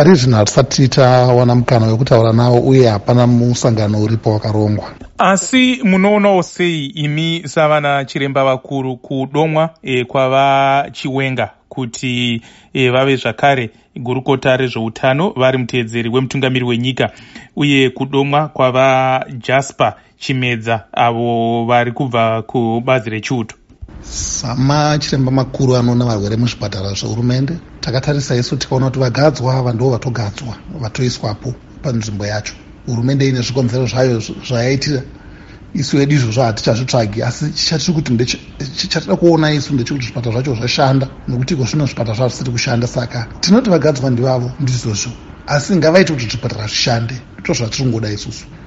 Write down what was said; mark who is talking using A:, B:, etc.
A: Pari zvino hatisati tawana mukana wekutaura navo uye hapana musangano uripo wakarongwa.
B: Asi munoonawo sei imi savana chiremba vakuru kudomwa kwaVaChiwenga kuti vave zvakare gurukota rezveutano vari muteedzeri wemutungamiri wenyika, uye kudomwa kwaVaJasper Chimedza avo vari kubva kubazi rechiuto?
A: Samachiremba makuru anoona varwere muzvipatara zvehurumende, takatarisa isu tikaona kuti vagadzwa ava ndo vatogadzwa, vatoiswapo panzvimbo yacho. Hurumende ine zvikonzero zvayo zvayaitira. Isu hedu izvozvo hatichazvitsvagi, asi chatiri kuti chatida kuona isu ndechekuti zvipatara zvacho zvashanda, nokuti iko zvino zvipatara zvazvisiri kushanda. Saka tinoti vagadzwa ndivavo, ndizvozvo, asi ngavaite kuti zvipatara zvishande, ndizvo zvatiri kungoda isusu.